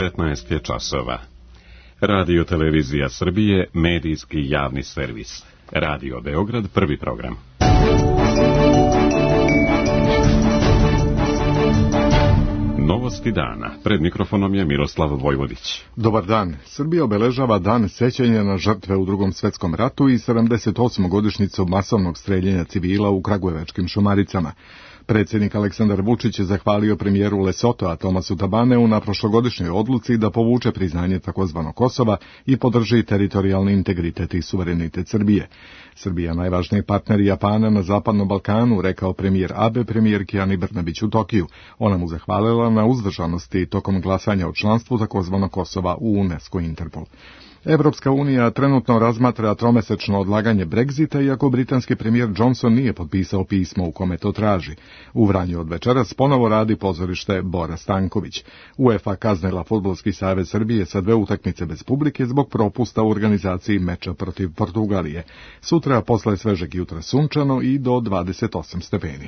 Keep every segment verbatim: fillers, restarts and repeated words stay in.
devetnaest je časova. Radio Televizija Srbije, medijski javni servis. Radio Beograd, prvi program. Novosti dana. Pred mikrofonom je Miroslav Vojvodić. Dobar dan. Srbija obeležava dan sećanja na žrtve u Drugom svetskom ratu i sedamdeset osmu godišnjicu masovnog streljenja civila u kragujevačkim Šumaricama. Predsjednik Aleksandar Vučić je zahvalio premijeru Lesotoa Tomasu Tabaneu na prošlogodišnjoj odluci da povuče priznanje takozvanog Kosova i podrži teritorijalni integritet i suverenitet Srbije. Srbija najvažniji partner Japana na Zapadnom Balkanu, rekao premijer Abe premijerki Ani Brnabić u Tokiju. Ona mu zahvalila na uzdržanosti tokom glasanja o članstvu takozvanog Kosova u UNESCO i Interpol. Evropska unija trenutno razmatra tromesečno odlaganje Brexita, iako britanski premijer Johnson nije potpisao pismo u kome to traži. U Vranju od večeras ponovo radi pozorište Bora Stanković. UEFA kaznila Fudbalski savez Srbije sa dve utakmice bez publike zbog propusta u organizaciji meča protiv Portugalije. Sutra posle svežeg jutra sunčano i do dvadeset osam stepeni.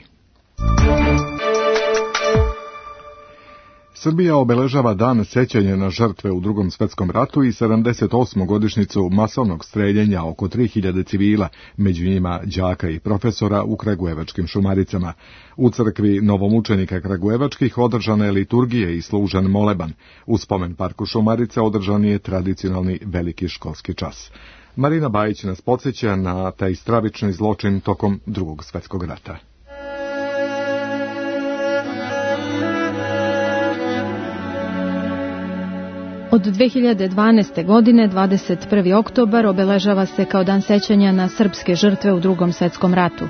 Srbija obeležava dan sećanja na žrtve u Drugom svetskom ratu i sedamdeset osmu godišnjicu masovnog streljenja oko tri hiljade civila, među njima đaka i profesora u kragujevačkim Šumaricama. U crkvi novomučenika kragujevačkih održana je liturgija i služen moleban. U spomen parku Šumarica održan je tradicionalni veliki školski čas. Marina Bajić nas podsjeća na taj stravični zločin tokom Drugog svjetskog rata. Od dve hiljade dvanaeste. godine, dvadeset prvi oktobar, obeležava se kao dan sećanja na srpske žrtve u Drugom svjetskom ratu.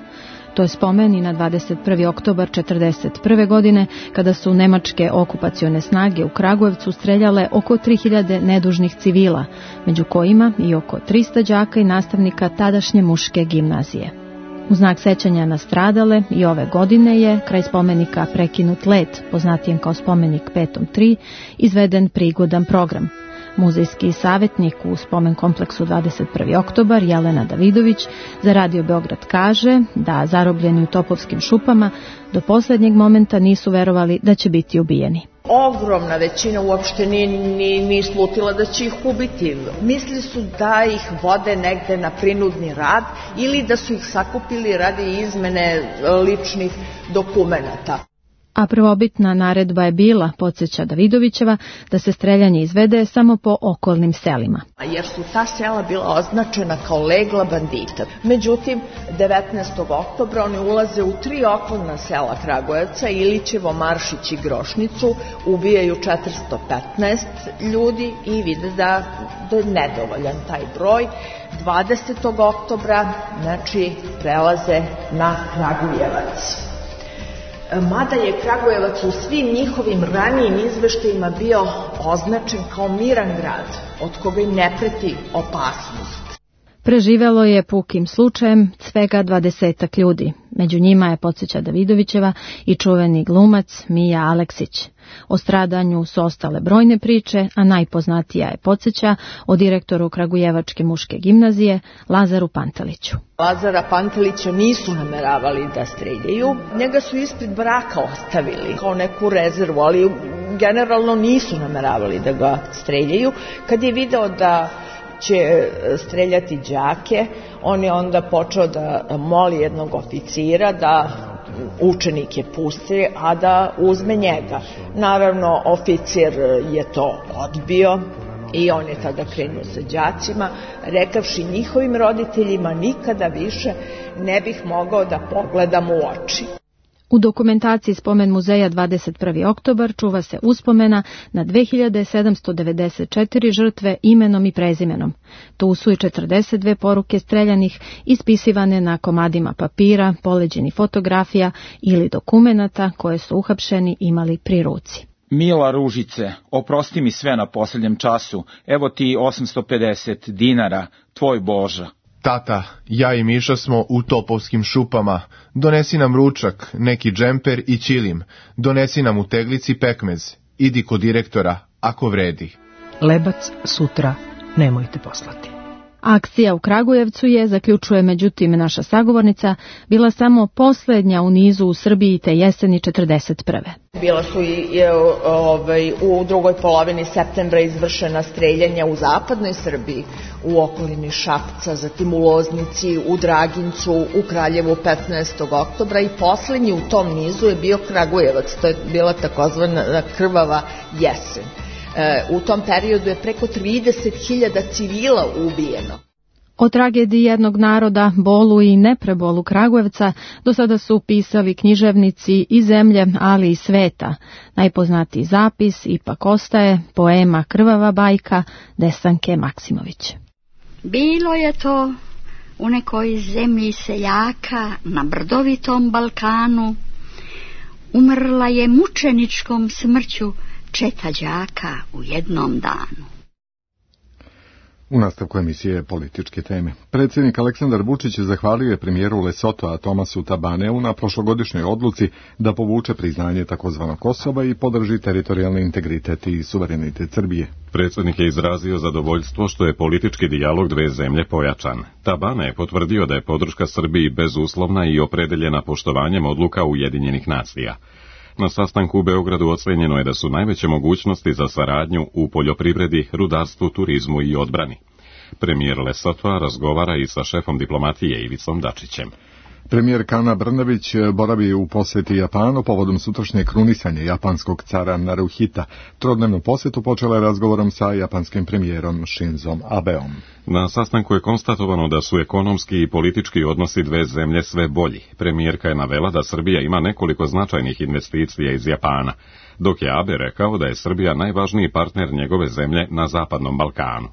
To je spomen i na dvadeset prvi oktobar četrdeset prve. godine, kada su nemačke okupacione snage u Kragujevcu streljale oko tri hiljade nedužnih civila, među kojima i oko trista đaka i nastavnika tadašnje muške gimnazije. U znak sećanja na stradale i ove godine je kraj spomenika Prekinut let, poznatijem kao spomenik Petom tri, izveden prigodan program. Muzejski savjetnik u spomen kompleksu dvadeset prvi oktobar Jelena Davidović za Radio Beograd kaže da zarobljeni u Topovskim šupama do posljednjeg momenta nisu verovali da će biti ubijeni. Ogromna većina uopšte ni, ni, ni slutila da će ih ubiti. Mislili su da ih vode negde na prinudni rad ili da su ih sakupili radi izmene ličnih dokumenata. A prvobitna naredba je bila, podsjeća Davidovićeva, da se streljanje izvede samo po okolnim selima. Jer su ta sela bila označena kao legla bandita. Međutim, devetnaestog oktobra oni ulaze u tri okolna sela Kragujevca, Ilićevo, Maršić i Grošnicu, ubijaju četiristo petnaest ljudi i vide da, da je nedovoljan taj broj. dvadesetog oktobra, znači, prelaze na Kragujevac. Mada je Kragujevac u svim njihovim ranijim izveštajima bio označen kao miran grad, od koga im ne preti opasnost. Preživelo je pukim slučajem svega dvadesetak ljudi. Među njima je, podsjeća Davidovićeva, i čuveni glumac Mija Aleksić. O stradanju su ostale brojne priče, a najpoznatija je, podsjeća, o direktoru Kragujevačke muške gimnazije Lazaru Panteliću. Lazara Pantelića nisu nameravali da streljaju, njega su ispred braka ostavili kao neku rezervu, ali generalno nisu nameravali da ga streljaju. Kad je video da će streljati đake, on je onda počeo da moli jednog oficira da učenike pusti, a da uzme njega. Naravno, oficir je to odbio i on je tada krenuo sa đacima, rekavši njihovim roditeljima nikada više ne bih mogao da pogledam u oči. U dokumentaciji Spomen muzeja dvadeset prvi oktobar čuva se uspomena na dve hiljade sedamsto devedeset četiri žrtve imenom i prezimenom. Tu su i četrdeset dve poruke streljanih, ispisivane na komadima papira, poleđeni fotografija ili dokumenata koje su uhapšeni imali pri ruci. Mila Ružice, oprosti mi sve na posljednjem času, evo ti osamsto pedeset dinara, tvoj Boža. Tata, ja i Miša smo u Topovskim šupama. Donesi nam ručak, neki džemper i ćilim. Donesi nam u teglici pekmez. Idi kod direktora, ako vredi. Lebac sutra nemojte poslati. Akcija u Kragujevcu je, zaključuje međutim naša sagovornica, bila samo posljednja u nizu u Srbiji te jeseni četrdeset prve. Bila su i ovaj, u drugoj polovini septembra izvršena streljanja u zapadnoj Srbiji, u okolini Šapca, zatim u Loznici, u Dragincu, u Kraljevu petnaestog oktobra i posljednji u tom nizu je bio Kragujevac, to je bila takozvana krvava jesen. U tom periodu je preko trideset hiljada civila ubijeno. O tragediji jednog naroda, bolu i neprebolu Kragujevca do sada su pisali književnici i zemlje, ali i sveta. Najpoznatiji zapis ipak ostaje poema Krvava bajka Desanke Maksimović. Bilo je to u nekoj zemlji seljaka na brdovitom Balkanu. Umrla je mučeničkom smrću četa đaka u jednom danu. U nastavku emisije političke teme. Predsjednik Aleksandar Vučić zahvalio je premijeru Lesotoa Tomasu Tabaneu na prošlogodišnjoj odluci da povuče priznanje takozvanog Kosova i podrži teritorijalni integritet i suverenitet Srbije. Predsjednik je izrazio zadovoljstvo što je politički dijalog dve zemlje pojačan. Tabane je potvrdio da je podrška Srbiji bezuslovna i opredeljena poštovanjem odluka Ujedinjenih nacija. Na sastanku u Beogradu ocenjeno je da su najveće mogućnosti za saradnju u poljoprivredi, rudarstvu, turizmu i odbrani. Premijer Lesothoa razgovara i sa šefom diplomatije Ivicom Dačićem. Premijer Ana Brnabić boravi u posjeti Japanu povodom sutrašnje krunisanja japanskog cara Naruhita. Trodnevnu posjetu počela je razgovorom sa japanskim premijerom Shinzom Abeom. Na sastanku je konstatovano da su ekonomski i politički odnosi dve zemlje sve bolji. Premijerka je navela da Srbija ima nekoliko značajnih investicija iz Japana, dok je Abe rekao da je Srbija najvažniji partner njegove zemlje na Zapadnom Balkanu.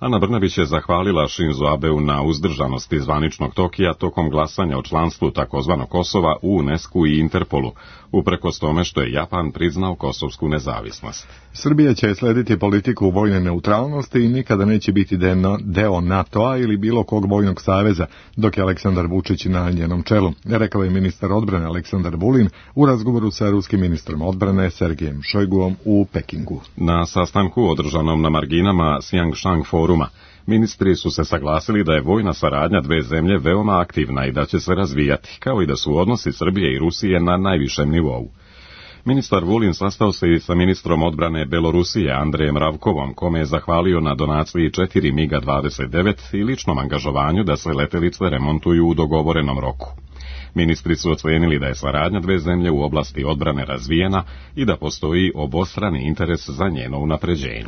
Ana Brnabić je zahvalila Shinzo Abeu na uzdržanosti zvaničnog Tokija tokom glasanja o članstvu takozvanog Kosova u UNESCO i Interpolu, uprkos tome što je Japan priznao kosovsku nezavisnost. Srbija će slediti politiku vojne neutralnosti i nikada neće biti deo NATO-a ili bilo kog vojnog saveza, dok je Aleksandar Vučić na njenom čelu, rekao je ministar odbrane Aleksandar Vulin u razgovoru sa ruskim ministrom odbrane Sergejem Šojguom u Pekingu. Na sastanku održanom na marginama Siangshang foruma, ministri su se saglasili da je vojna saradnja dve zemlje veoma aktivna i da će se razvijati, kao i da su odnosi Srbije i Rusije na najvišem nivou. Ministar Vulin sastao se i sa ministrom odbrane Belorusije Andrejem Ravkovom, kome je zahvalio na donaciji četiri MiG dvadeset devet i ličnom angažovanju da se letelice remontuju u dogovorenom roku. Ministri su ocenili da je saradnja dve zemlje u oblasti odbrane razvijena i da postoji obostrani interes za njeno unapređenje.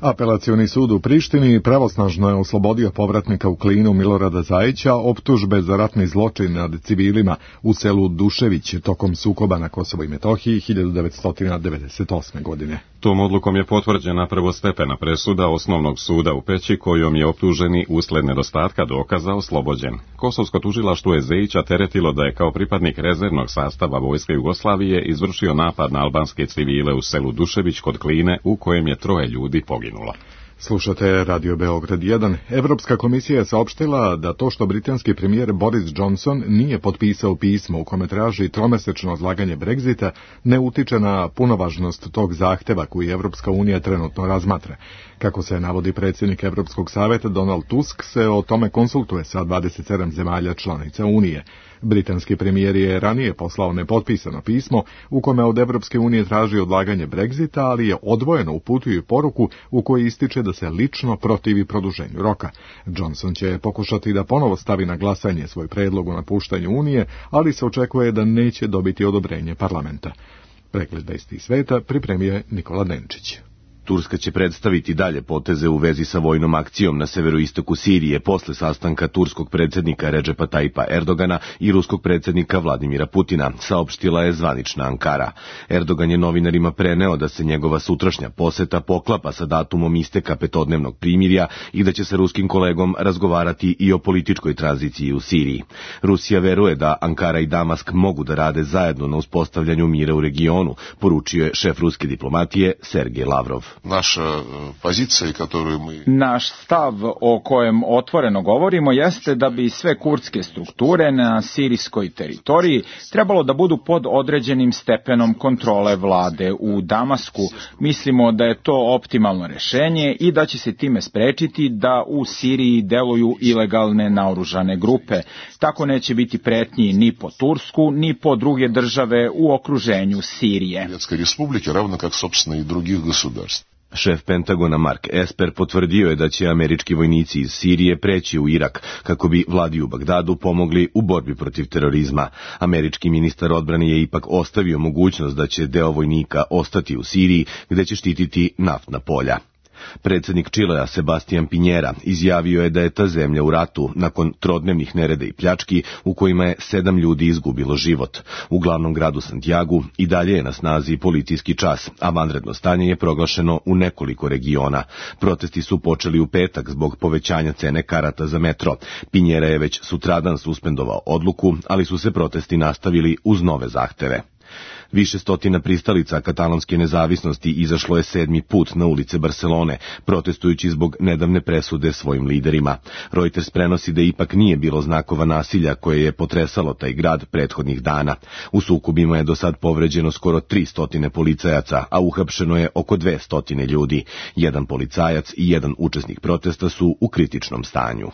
Apelacioni sud u Prištini pravosnažno je oslobodio povratnika u Klinu Milorada Zajića optužbe za ratni zločin nad civilima u selu Dušević tokom sukoba na Kosovo i Metohiji hiljadu devetsto devedeset osme. godine. Tom odlukom je potvrđena prvostepena presuda Osnovnog suda u Peći kojom je optuženi usled nedostatka dokaza oslobođen. Kosovsko tužilaštvo je Zejića teretilo da je kao pripadnik rezervnog sastava Vojske Jugoslavije izvršio napad na albanske civile u selu Dušević kod Kline u kojem je troje ljudi poginulo. Slušate Radio Beograd jedan. Evropska komisija je saopštila da to što britanski premijer Boris Johnson nije potpisao pismo u kome traži tromesečno odlaganje Brexita ne utiče na punovažnost tog zahteva koji Evropska unija trenutno razmatra. Kako se navodi predsjednik Evropskog savjeta Donald Tusk se o tome konsultuje sa dvadeset sedam zemalja članica Unije. Britanski premijer je ranije poslao nepotpisano pismo u kome od Evropske unije traži odlaganje Brexita, ali je odvojeno uputio i poruku u kojoj ističe da se lično protivi produženju roka. Johnson će pokušati da ponovo stavi na glasanje svoj predlog o napuštanju Unije, ali se očekuje da neće dobiti odobrenje parlamenta. Pregled vesti sveta pripremio je Nikola Denčić. Turska će predstaviti dalje poteze u vezi sa vojnom akcijom na severoistoku Sirije posle sastanka turskog predsjednika Redžepa Tajipa Erdogana i ruskog predsjednika Vladimira Putina, saopštila je zvanična Ankara. Erdogan je novinarima preneo da se njegova sutrašnja poseta poklapa sa datumom isteka petodnevnog primirja i da će se ruskim kolegom razgovarati i o političkoj tranziciji u Siriji. Rusija veruje da Ankara i Damask mogu da rade zajedno na uspostavljanju mira u regionu, poručio je šef ruske diplomatije Sergej Lavrov. naša pozicija, koju mi... Naš stav o kojem otvoreno govorimo jeste da bi sve kurdske strukture na sirijskoj teritoriji trebalo da budu pod određenim stepenom kontrole vlade u Damasku. Mislimo da je to optimalno rešenje i da će se time sprečiti da u Siriji deluju ilegalne naoružane grupe. Tako neće biti pretnji ni po Tursku, ni po druge države u okruženju Sirije. Республики, равно как, собственно, и других государств. Šef Pentagona Mark Esper potvrdio je da će američki vojnici iz Sirije preći u Irak kako bi vladi u Bagdadu pomogli u borbi protiv terorizma. Američki ministar odbrane je ipak ostavio mogućnost da će deo vojnika ostati u Siriji gde će štititi naftna polja. Predsjednik Čilea Sebastian Pinjera izjavio je da je ta zemlja u ratu nakon trodnevnih nereda i pljački u kojima je sedam ljudi izgubilo život. U glavnom gradu Santiagu i dalje je na snazi policijski čas, a vanredno stanje je proglašeno u nekoliko regiona. Protesti su počeli u petak zbog povećanja cene karata za metro. Pinjera je već sutradan suspendovao odluku, ali su se protesti nastavili uz nove zahteve. Više stotina pristalica katalonske nezavisnosti izašlo je sedmi put na ulice Barcelone, protestujući zbog nedavne presude svojim liderima. Reuters prenosi da ipak nije bilo znakova nasilja koje je potresalo taj grad prethodnih dana. U sukobima je do sad povređeno skoro tri stotine policajaca, a uhapšeno je oko dve stotine ljudi. Jedan policajac i jedan učesnik protesta su u kritičnom stanju.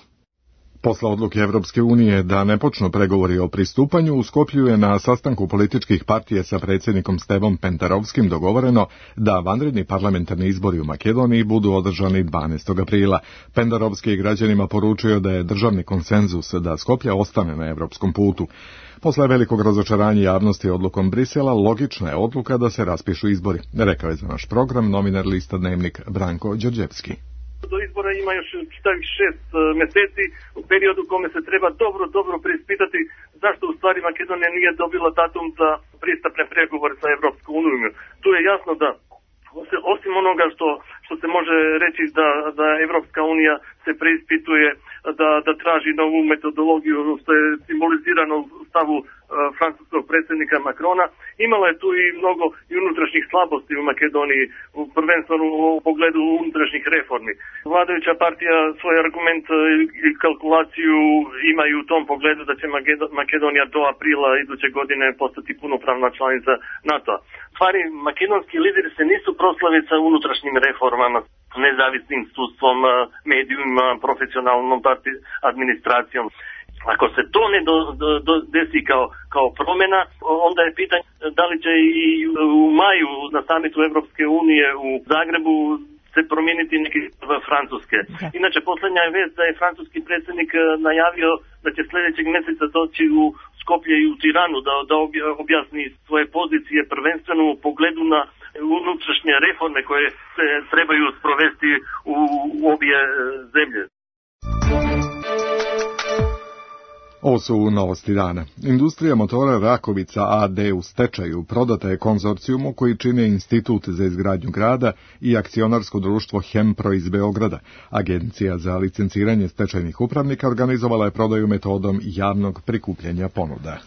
Posle odluke Evropske unije da ne počnu pregovori o pristupanju, u Skoplju je na sastanku političkih partije sa predsjednikom Stevom Pentarovskim dogovoreno da vanredni parlamentarni izbori u Makedoniji budu održani dvanaestog aprila. Pentarovski je građanima poručio da je državni konsenzus da Skoplja ostane na evropskom putu. Posle velikog razočaranja javnosti odlukom Brisela, logična je odluka da se raspišu izbori, rekao je za naš program novinar lista Dnevnik Branko Đorđevski. Do izbora ima još čitavih šest mjeseci, u periodu u kome se treba dobro, dobro preispitati zašto u stvari Makedonija nije dobila datum za pristupne pregovore sa Evropskom unijom. Tu je jasno da osim onoga što, što se može reći da, da Evropska unija se preispituje, da, da traži novu metodologiju, što je simbolizirano u stavu uh, francuskog predsjednika Macrona, imala je tu i mnogo i unutrašnjih slabosti u Makedoniji, prvenstveno u pogledu unutrašnjih reformi. Vladajuća partija svoj argument i kalkulaciju imaju u tom pogledu da će Makedonija do aprila iduće godine postati punopravna članica NATO-a. Stvari, makedonski lideri se nisu proslavili sa unutrašnjim reformama, nezavisnim sudstvom, medijima, profesionalnom administracijom. Ako se to ne do, do, do desi kao, kao promjena, onda je pitanje da li će i u maju na samitu Evropske unije u Zagrebu se promijeniti neki Francuske. Inače, posljednja je vest da je francuski predsjednik najavio da će sljedećeg mjeseca doći u Skoplje i u Tiranu da, da objasni svoje pozicije prvenstveno u pogledu na unutrašnje reforme koje se trebaju sprovesti u, u obje zemlje. Ovo su novosti dana. Industrija motora Rakovica A D u stečaju prodata je konzorcijumu koji čine Institut za izgradnju grada i akcionarsko društvo Hempro iz Beograda. Agencija za licenciranje stečajnih upravnika organizovala je prodaju metodom javnog prikupljanja ponuda.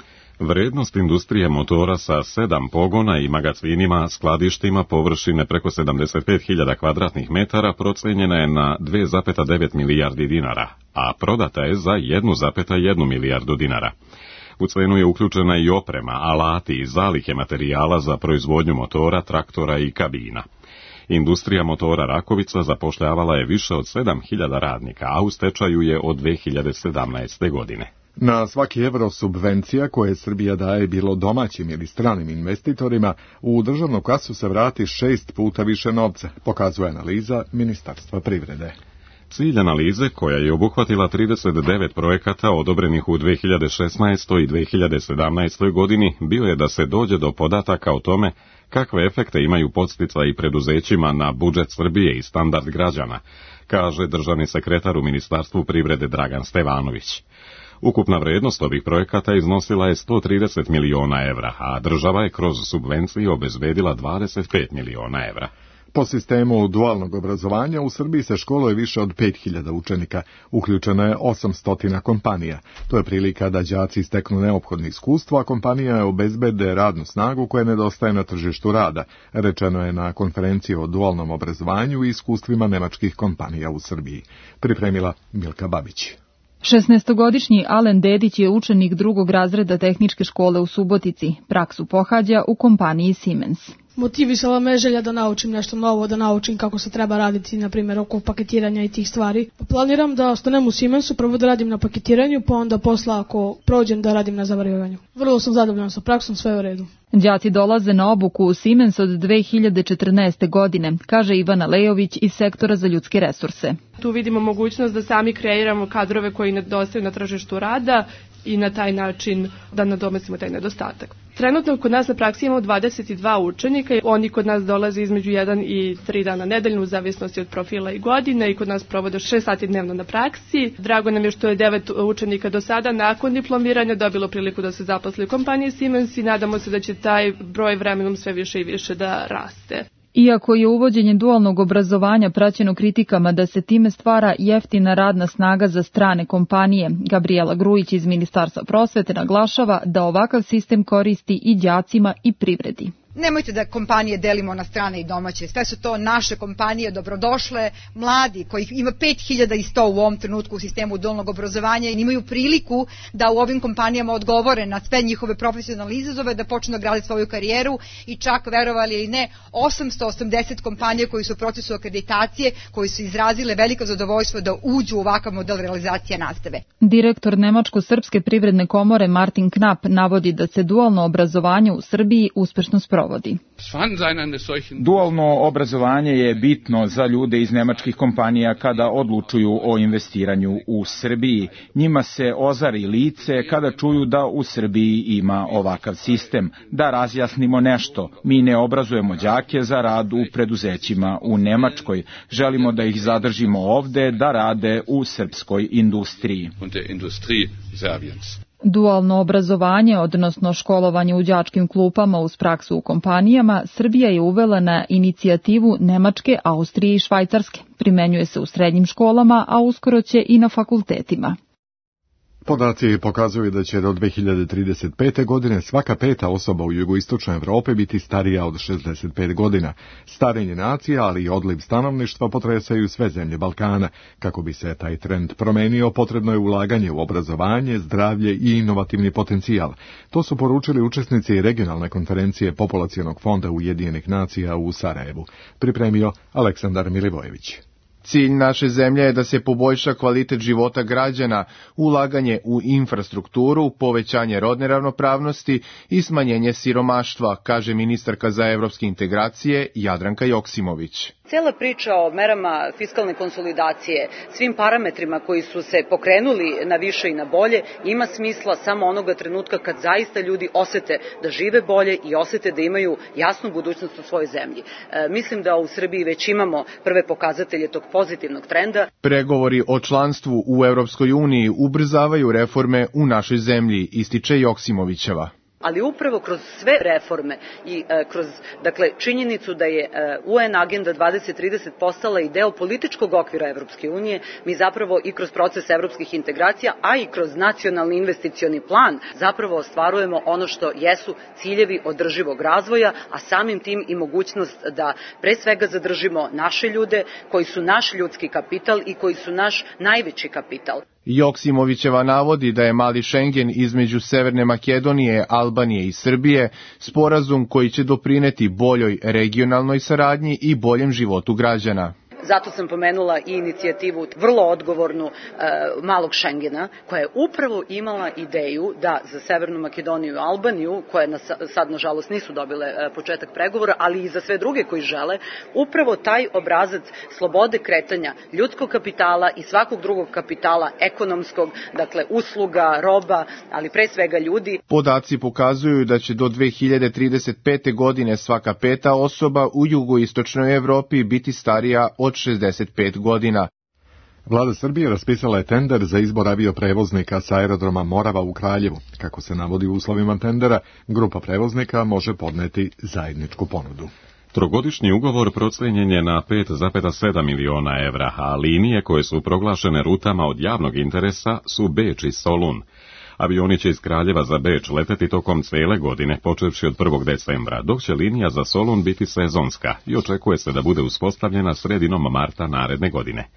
Vrednost industrije motora sa sedam pogona i magacinima, skladištima površine preko sedamdeset pet hiljada kvadratnih metara procenjena je na dve zarez devet milijardi dinara, a prodata je za jednu zarez jednu milijardu dinara. U cenu je uključena i oprema, alati i zalihe materijala za proizvodnju motora, traktora i kabina. Industrija motora Rakovica zapošljavala je više od sedam hiljada radnika, a u stečaju je od dve hiljade sedamnaeste. godine. Na svaki evro subvencija koje Srbija daje bilo domaćim ili stranim investitorima, u državnu kasu se vrati šest puta više novca, pokazuje analiza Ministarstva privrede. Cilj analize, koja je obuhvatila trideset devet projekata odobrenih u dve hiljade šesnaestoj i dve hiljade sedamnaestoj. godini, bio je da se dođe do podataka o tome kakve efekte imaju podsticaji preduzećima na budžet Srbije i standard građana, kaže državni sekretar u Ministarstvu privrede Dragan Stevanović. Ukupna vrednost ovih projekata iznosila je sto trideset miliona evra, a država je kroz subvencije obezbedila dvadeset pet miliona evra. Po sistemu dualnog obrazovanja u Srbiji se školuje više od pet hiljada učenika, uključeno je osamsto kompanija. To je prilika da đaci steknu neophodno iskustvo, a kompanija obezbede radnu snagu koja nedostaje na tržištu rada, rečeno je na konferenciji o dualnom obrazovanju i iskustvima nemačkih kompanija u Srbiji. Pripremila Milka Babić. šesnaestogodišnji Alen Dedić je učenik drugog razreda tehničke škole u Subotici. Praksu pohađa u kompaniji Siemens. Motivisala me želja da naučim nešto novo, da naučim kako se treba raditi, na primjer, oko paketiranja i tih stvari. Planiram da ostanem u Siemensu, prvo da radim na paketiranju, pa onda posla ako prođem da radim na zavarivanju. Vrlo sam zadovoljan sa praksom, sve je u redu. Đaci dolaze na obuku u Siemens od dve hiljade četrnaeste. godine, kaže Ivana Lejović iz sektora za ljudske resurse. Tu vidimo mogućnost da sami kreiramo kadrove koji nedostaju na tržištu rada i na taj način da nadomestimo taj nedostatak. Trenutno kod nas na praksi imamo dvadeset dva učenika, oni kod nas dolaze između jedan i tri dana nedeljno u zavisnosti od profila i godine i kod nas provode šest sati dnevno na praksi. Drago nam je što je devet učenika do sada nakon diplomiranja dobilo priliku da se zaposli u kompaniji Siemens i nadamo se da će taj broj vremenom sve više i više da raste. Iako je uvođenje dualnog obrazovanja praćeno kritikama da se time stvara jeftina radna snaga za strane kompanije, Gabriela Grujić iz Ministarstva prosvete naglašava da ovakav sistem koristi i đacima i privredi. Nemojte da kompanije delimo na strane i domaće. Sve su to naše kompanije, dobrodošle, mladi, kojih ima pet hiljada sto u ovom trenutku u sistemu dualnog obrazovanja i imaju priliku da u ovim kompanijama odgovore na sve njihove profesionalne izazove, da počnu da grade svoju karijeru i čak, verovali ili ne, osamsto osamdeset kompanija koji su u procesu akreditacije, koji su izrazile veliko zadovoljstvo da uđu u ovakav model realizacije nastave. Direktor Nemačko-srpske privredne komore Martin Knap navodi da se dualno obrazovanje u Srbiji uspešno sprovodi. Dualno obrazovanje je bitno za ljude iz nemačkih kompanija kada odlučuju o investiranju u Srbiji. Njima se ozari lice kada čuju da u Srbiji ima ovakav sistem. Da razjasnimo nešto, mi ne obrazujemo đake za rad u preduzećima u Nemačkoj. Želimo da ih zadržimo ovde da rade u srpskoj industriji. Dualno obrazovanje, odnosno školovanje u đačkim klupama uz praksu u kompanijama, Srbija je uvela na inicijativu Nemačke, Austrije i Švajcarske. Primenjuje se u srednjim školama, a uskoro će i na fakultetima. Podaci pokazuju da će do dve hiljade trideset pete. godine svaka peta osoba u jugoistočnoj Evropi biti starija od šezdeset pet godina. Starenje nacija, ali i odliv stanovništva potresaju sve zemlje Balkana. Kako bi se taj trend promenio, potrebno je ulaganje u obrazovanje, zdravlje i inovativni potencijal. To su poručili učesnici regionalne konferencije Populacionog fonda Ujedinjenih nacija u Sarajevu. Pripremio Aleksandar Milivojević. Cilj naše zemlje je da se poboljša kvalitet života građana, ulaganje u infrastrukturu, povećanje rodne ravnopravnosti i smanjenje siromaštva, kaže ministarka za evropske integracije Jadranka Joksimović. Cela priča o merama fiskalne konsolidacije, svim parametrima koji su se pokrenuli na više i na bolje, ima smisla samo onoga trenutka kad zaista ljudi osete da žive bolje i osete da imaju jasnu budućnost u svojoj zemlji. E, mislim da u Srbiji već imamo prve pokazatelje tog pozitivnog trenda. Pregovori o članstvu u Evropskoj uniji ubrzavaju reforme u našoj zemlji, ističe Joksimovićeva. Ali upravo kroz sve reforme i e, kroz dakle činjenicu da je e, U N agenda dvadeset trideset postala i deo političkog okvira Evropske unije, mi zapravo i kroz proces evropskih integracija, a i kroz nacionalni investicioni plan zapravo ostvarujemo ono što jesu ciljevi održivog razvoja, a samim tim i mogućnost da pre svega zadržimo naše ljude koji su naš ljudski kapital i koji su naš najveći kapital. Joksimovićeva navodi da je mali Šengen između Severne Makedonije, Albanije i Srbije sporazum koji će doprineti boljoj regionalnoj saradnji i boljem životu građana. Zato sam pomenula i inicijativu vrlo odgovornu e, malog Šengena, koja je upravo imala ideju da za Severnu Makedoniju i Albaniju, koje na, sad nažalost nisu dobile e, početak pregovora, ali i za sve druge koji žele, upravo taj obrazac slobode kretanja ljudskog kapitala i svakog drugog kapitala, ekonomskog, dakle usluga, roba, ali pre svega ljudi. Podaci pokazuju da će do dve hiljade trideset pete. godine svaka peta osoba u jugoistočnoj Evropi biti starija od šezdeset pet godina. Vlada Srbije raspisala je tender za izbor avioprevoznika sa aerodroma Morava u Kraljevu. Kako se navodi u uslovima tendera, grupa prevoznika može podneti zajedničku ponudu. Trogodišnji ugovor procijenjen je na pet zarez sedam miliona evra, a linije koje su proglašene rutama od javnog interesa su Beč i Solun. Avioni će iz Kraljeva za Beč leteti tokom cijele godine, počevši od prvog decembra, dok će linija za Solun biti sezonska i očekuje se da bude uspostavljena sredinom marta naredne godine.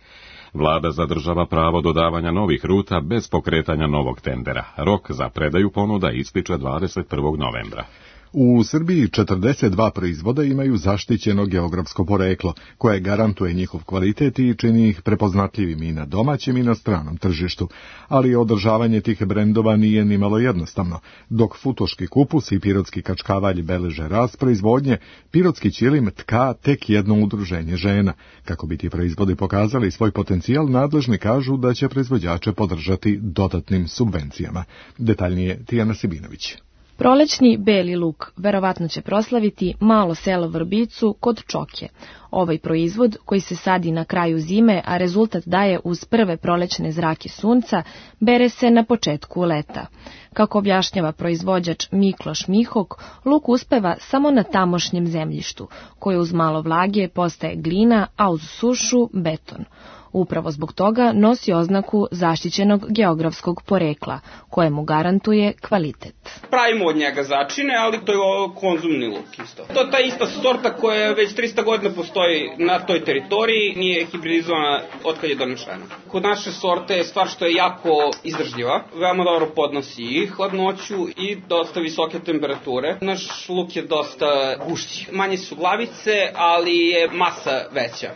Vlada zadržava pravo dodavanja novih ruta bez pokretanja novog tendera. Rok za predaju ponuda ističe dvadeset prvog novembra. U Srbiji četrdeset dva proizvoda imaju zaštićeno geografsko poreklo, koje garantuje njihov kvalitet i čini ih prepoznatljivim i na domaćem i na stranom tržištu, ali održavanje tih brendova nije nimalo jednostavno. Dok futoški kupus i pirotski kačkavalj beleže rast proizvodnje, pirotski ćilim tka tek jedno udruženje žena. Kako bi ti proizvodi pokazali svoj potencijal, nadležni kažu da će proizvođače podržati dodatnim subvencijama. Detaljnije Tijana Sibinović. Prolećni beli luk verovatno će proslaviti malo selo Vrbicu kod Čoke. Ovaj proizvod, koji se sadi na kraju zime, a rezultat daje uz prve prolećne zrake sunca, bere se na početku leta. Kako objašnjava proizvođač Mikloš Mihok, luk uspeva samo na tamošnjem zemljištu, koje uz malo vlage postaje glina, a uz sušu beton. Upravo zbog toga nosi oznaku zaštićenog geografskog porekla, koje mu garantuje kvalitet. Pravimo od njega začine, ali to je konzumni luk isto. To je ta ista sorta koja već trista godina postoji na toj teritoriji, nije hibridizovana od kad je donešena. Kod naše sorte je stvar što je jako izdržljiva, veoma dobro podnosi i hladnoću i dosta visoke temperature. Naš luk je dosta gušći. Manje su glavice, ali je masa veća.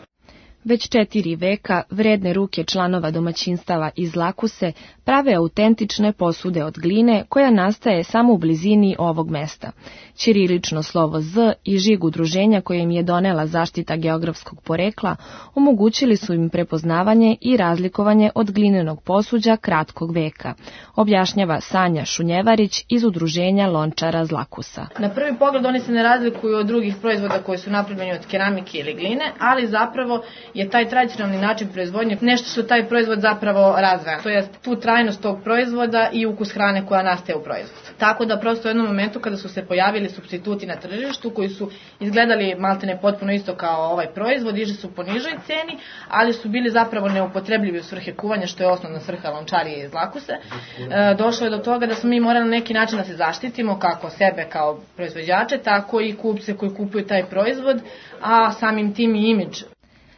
Već četiri veka vredne ruke članova domaćinstava iz Lakuse prave autentične posude od gline koja nastaje samo u blizini ovog mesta. Ćirilično slovo Z i žig udruženja koje im je donela zaštita geografskog porekla omogućili su im prepoznavanje i razlikovanje od glinenog posuđa kratkog veka, objašnjava Sanja Šunjevarić iz udruženja lončara z Lakusa. Na prvi pogled oni se ne razlikuju od drugih proizvoda koji su napravljeni od keramike ili gline, ali zapravo je taj tradicionalni način proizvodnje nešto što taj proizvod zapravo razvaja. To je tu trajnost tog proizvoda i ukus hrane koja nastaje u proizvodu. Tako da prosto u jednom momentu kada su se pojavili supstituti na tržištu koji su izgledali maltene potpuno isto kao ovaj proizvod, išli su po nižoj ceni, ali su bili zapravo neupotrebljivi u svrhe kuvanja, što je osnovna svrha lončarije iz Lakuse. E, došlo je do toga da smo mi morali na neki način da se zaštitimo, kako sebe kao proizvođače, tako i kupce koji kupuju taj proizvod, a samim tim i imidž.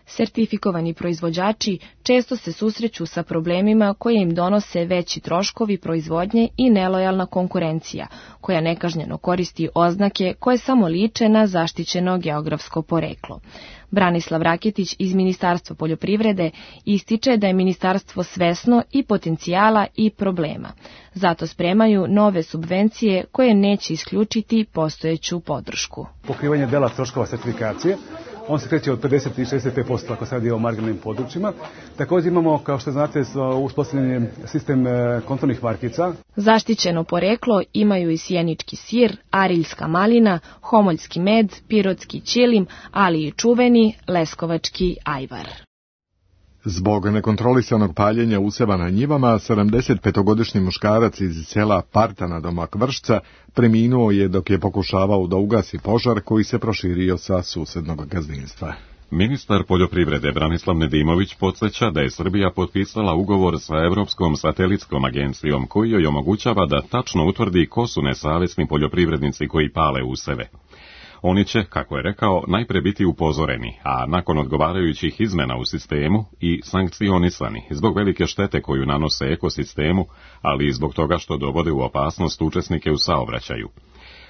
Sertifikovani proizvođači često se susreću sa problemima koje im donose veći troškovi proizvodnje i nelojalna konkurencija, koja nekažnjeno koristi oznake koje samo liče na zaštićeno geografsko poreklo. Branislav Raketić iz Ministarstva poljoprivrede ističe da je ministarstvo svesno i potencijala i problema. Zato spremaju nove subvencije koje neće isključiti postojeću podršku. Pokrivanje dela troškova sertifikacije, on se kreće od pedeset i šezdeset pet posto ako se radi o marginalnim područjima. Također imamo, kao što znate, uspostavljen sistem kontrolnih markica. Zaštićeno poreklo imaju i sjenički sir, ariljska malina, homoljski med, pirotski ćilim, ali i čuveni leskovački ajvar. Zbog nekontrolisanog paljenja useva na njivama, sedamdesetpetogodišnji muškarac iz sela Partana domak Vršca preminuo je dok je pokušavao da ugasi požar koji se proširio sa susednog gazdinstva. Ministar poljoprivrede Branislav Nedimović podsjeća da je Srbija potpisala ugovor sa Evropskom satelitskom agencijom koji joj omogućava da tačno utvrdi ko su nesavesni poljoprivrednici koji pale useve. Oni će, kako je rekao, najpre biti upozoreni, a nakon odgovarajućih izmena u sistemu i sankcionisani zbog velike štete koju nanose ekosistemu, ali i zbog toga što dovode u opasnost učesnike u saobraćaju.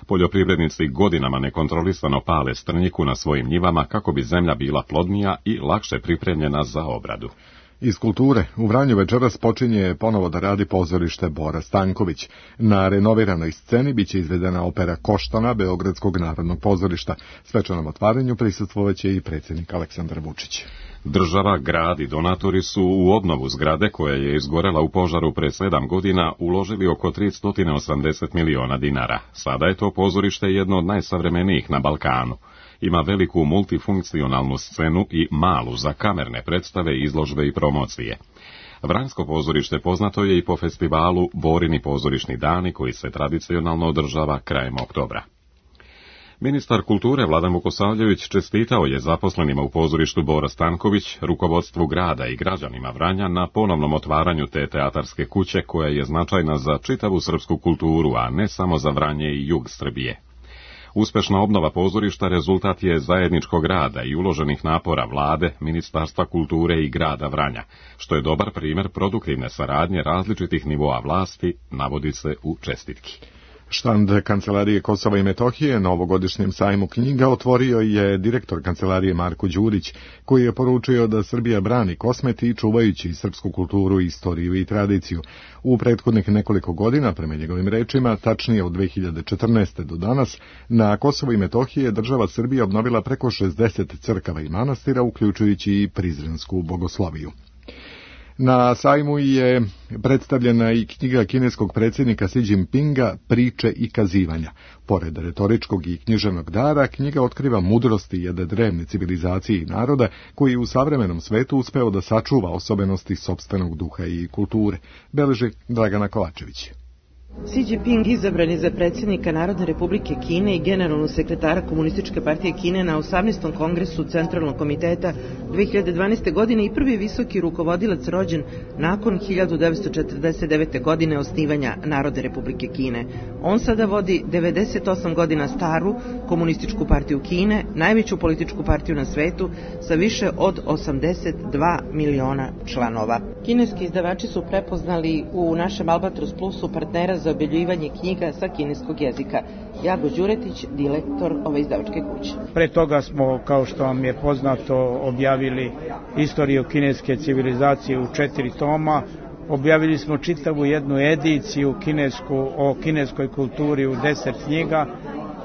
Poljoprivrednici godinama nekontrolisano pale strnjiku na svojim njivama kako bi zemlja bila plodnija i lakše pripremljena za obradu. Iz kulture, u Vranju večeras počinje ponovo da radi pozorište Bora Stanković. Na renoviranoj sceni biće izvedena opera Koštana Beogradskog narodnog pozorišta. Svečanom otvaranju prisustvovaće i predsjednik Aleksandar Vučić. Država, grad i donatori su u obnovu zgrade koja je izgorela u požaru pre sedam godina uložili oko tristo osamdeset miliona dinara. Sada je to pozorište jedno od najsavremenijih na Balkanu. Ima veliku multifunkcionalnu scenu i malu za kamerne predstave, izložbe i promocije. Vranjsko pozorište poznato je i po festivalu Borini pozorišni dani koji se tradicionalno održava krajem oktobra. Ministar kulture Vladan Vukosavljević čestitao je zaposlenima u pozorištu Bora Stanković, rukovodstvu grada i građanima Vranja na ponovnom otvaranju te teatarske kuće koja je značajna za čitavu srpsku kulturu, a ne samo za Vranje i jug Srbije. Uspešna obnova pozorišta rezultat je zajedničkog rada i uloženih napora vlade, Ministarstva kulture i grada Vranja, što je dobar primer produktivne saradnje različitih nivoa vlasti, navodi se u čestitki. Štand Kancelarije Kosova i Metohije na ovogodišnjem sajmu knjiga otvorio je direktor Kancelarije Marko Đurić, koji je poručio da Srbija brani Kosmeti čuvajući srpsku kulturu, istoriju i tradiciju. U prethodnih nekoliko godina, prema njegovim rečima, tačnije od dve hiljade četrnaeste. do danas, na Kosovo i Metohije država Srbija obnovila preko šezdeset crkava i manastira, uključujući i Prizrensku bogosloviju. Na sajmu je predstavljena i knjiga kineskog predsjednika Xi Jinpinga Priče i kazivanja. Pored retoričkog i književnog dara, knjiga otkriva mudrosti jedne drevne civilizacije i naroda koji u savremenom svetu uspeo da sačuva osobenosti sopstvenog duha i kulture, beleži Dragana Kovačević. Xi Jinping izabran je za predsjednika Narodne republike Kine i generalnog sekretara Komunističke partije Kine na osamnaestom kongresu Centralnog komiteta dve hiljade dvanaeste. godine i prvi visoki rukovodilac rođen nakon hiljadu devetsto četrdeset devete. godine osnivanja Narodne republike Kine. On sada vodi devedeset osam godina staru Komunističku partiju Kine, najveću političku partiju na svetu sa više od osamdeset dva miliona članova. Kineski izdavači su prepoznali u našem Albatros Plusu partnera za objavljivanje knjiga sa kineskog jezika. Jago Đuretić, direktor ove izdavačke kuće. Pre toga smo, kao što vam je poznato, objavili istoriju kineske civilizacije u četiri toma. Objavili smo čitavu jednu ediciju kinesku, o kineskoj kulturi u deset knjiga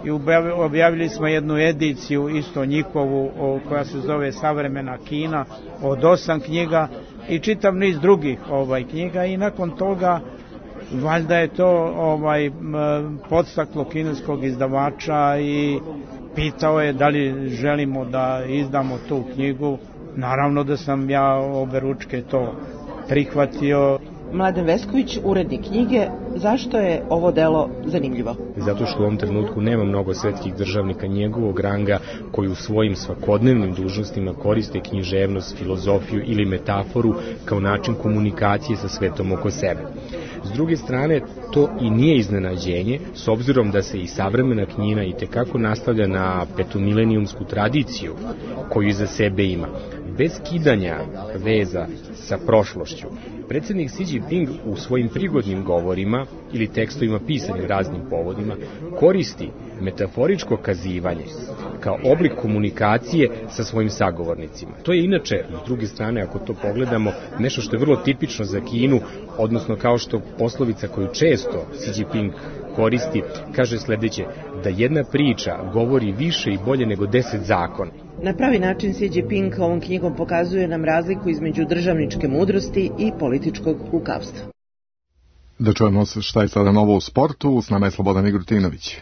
i objavili smo jednu ediciju isto njihovu o, koja se zove Savremena Kina od osam knjiga i čitav niz drugih ovaj knjiga i nakon toga valjda je to ovaj podstaklo kineskog izdavača i pitao je da li želimo da izdamo tu knjigu. Naravno da sam ja oberučke to prihvatio. Mladen Vesković, urednik knjige, zašto je ovo delo zanimljivo? Zato što u ovom trenutku nema mnogo svetskih državnika njegovog ranga koji u svojim svakodnevnim dužnostima koriste književnost, filozofiju ili metaforu kao način komunikacije sa svetom oko sebe. S druge strane, to i nije iznenađenje, s obzirom da se i savremena knjina i tekako nastavlja na petomilenijumsku tradiciju koju iza sebe ima. Bez kidanja veza sa prošlošću, predsjednik Xi Jinping u svojim prigodnim govorima ili tekstovima pisanim raznim povodima koristi metaforičko kazivanje kao oblik komunikacije sa svojim sagovornicima. To je inače, s druge strane, ako to pogledamo, nešto što je vrlo tipično za Kinu, odnosno kao što poslovica koju često Xi Jinping koristi, kaže sledeće, da jedna priča govori više i bolje nego deset zakona. Na pravi način Xi Jinping ovom knjigom pokazuje nam razliku između državničke mudrosti i političkog lukavstva. Da čujemo šta je sada novo u sportu, s nama je Slobodan Igrutinović.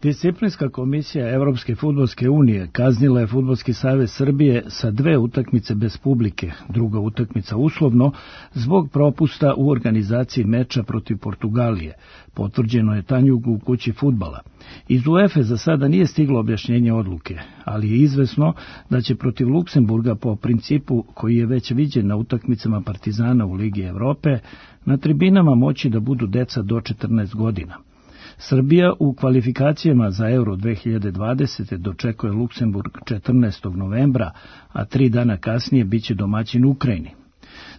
Disciplinska komisija Evropske fudbalske unije kaznila je Fudbalski savez Srbije sa dve utakmice bez publike, druga utakmica uslovno, zbog propusta u organizaciji meča protiv Portugalije. Potvrđeno je Tanjugu u kući fudbala. Iz UEFA za sada nije stiglo objašnjenje odluke, ali je izvesno da će protiv Luksemburga po principu koji je već viđen na utakmicama Partizana u Ligi Evrope, na tribinama moći da budu deca do četrnaest godina. Srbija u kvalifikacijama za Euro dve hiljade dvadesete. dočekuje Luksemburg četrnaestog novembra, a tri dana kasnije biće domaćin Ukrajini.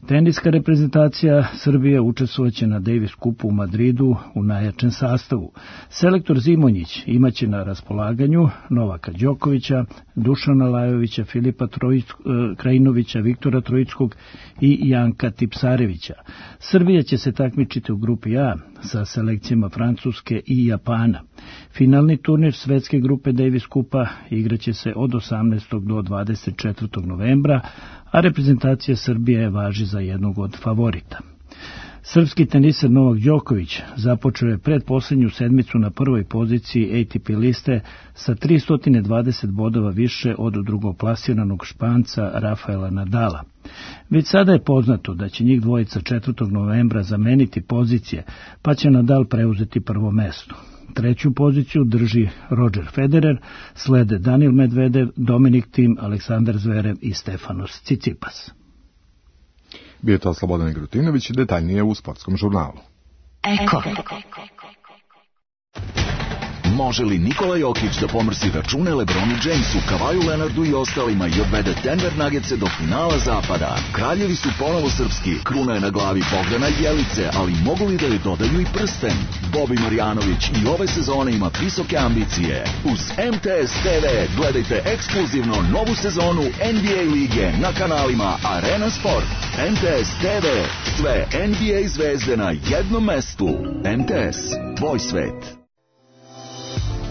Teniska reprezentacija Srbije učestvovaće na Davis Cupu u Madridu u najjačem sastavu. Selektor Zimonjić imaće na raspolaganju Novaka Đokovića, Dušana Lajovića, Filipa Trojic, Krajinovića, Viktora Trojickog i Janka Tipsarevića. Srbija će se takmičiti u grupi A sa selekcijama Francuske i Japana. Finalni turnir svetske grupe Davis Cupa igraće se od osamnaestog do dvadeset četvrtog novembra, a reprezentacija Srbije važi za jednog od favorita. Srpski teniser Novak Đoković započeo je predposlednju sedmicu na prvoj poziciji A T P liste sa tristo dvadeset bodova više od drugoplasiranog Španca Rafaela Nadala. Već sada je poznato da će njih dvojica četvrtog novembra zameniti pozicije, pa će Nadal preuzeti prvo mesto. Treću poziciju drži Roger Federer, slede Danil Medvedev, Dominik Thiem, Aleksandar Zverev i Stefanos Tsitsipas. Bio je to Slobodan Grutinović, detaljnije u sportskom žurnalu. Eko. Može li Nikola Jokić da pomrsi račune LeBronu Jamesu, Kavaju Leonardu i ostalima i odvede Denver Nuggetse do finala zapada? Kraljevi su ponovo srpski, kruna je na glavi Bogdana Jelice, ali mogu li da joj dodaju i prsten? Bobi Marjanović i ove sezone ima visoke ambicije. Uz M T S T V gledajte ekskluzivno novu sezonu N B A lige na kanalima Arena Sport. M T S T V, sve N B A zvezde na jednom mestu. M T S, tvoj svet.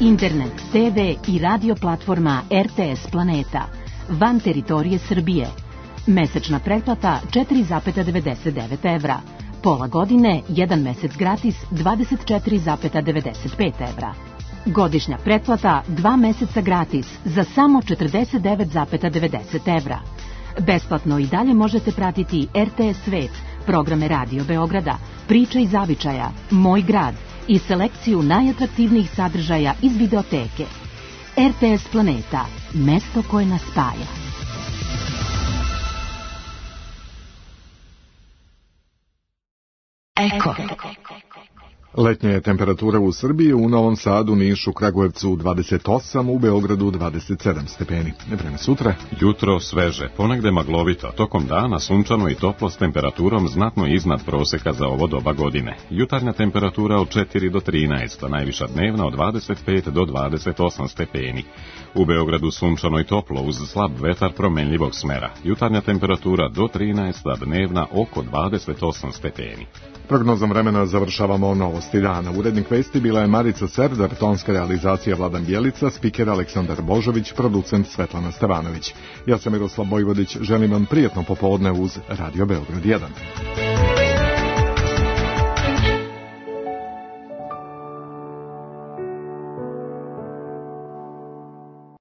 Internet, te ve i radio platforma R T S Planeta. Van teritorije Srbije. Mesečna pretplata četiri zarez devedeset devet evra. Pola godine, jedan mesec gratis dvadeset četiri zarez devedeset pet evra. Godišnja pretplata dva meseca gratis za samo četrdeset devet zarez devedeset evra. Besplatno i dalje možete pratiti R T S Svet, programe Radio Beograda, Priča iz zavičaja, Moj grad i selekciju najatraktivnijih sadržaja iz videoteke. R T S Planeta, mesto koje nas spaja. Eko. Letnja je temperatura u Srbiji, u Novom Sadu, Nišu, Kragujevcu dvadeset osam, u Beogradu dvadeset sedam stepeni. Vreme sutra. Jutro sveže, ponegde maglovito, tokom dana sunčano i toplo s temperaturom znatno iznad proseka za ovo doba godine. Jutarnja temperatura od četiri do trinaest, a najviša dnevna od dvadeset pet do dvadeset osam stepeni. U Beogradu sunčano i toplo uz slab vetar promenljivog smera. Jutarnja temperatura do trinaest, a dnevna oko dvadeset osam stepeni. Prognozom vremena završavamo novosti dana. Urednik vesti bila je Marica Serdar, tonska realizacija Vladan Bjelica, spiker Aleksandar Božović, producent Svetlana Stevanović. Ja sam Miroslav Bojvodić, želim vam prijetno popodne uz Radio Beograd jedan.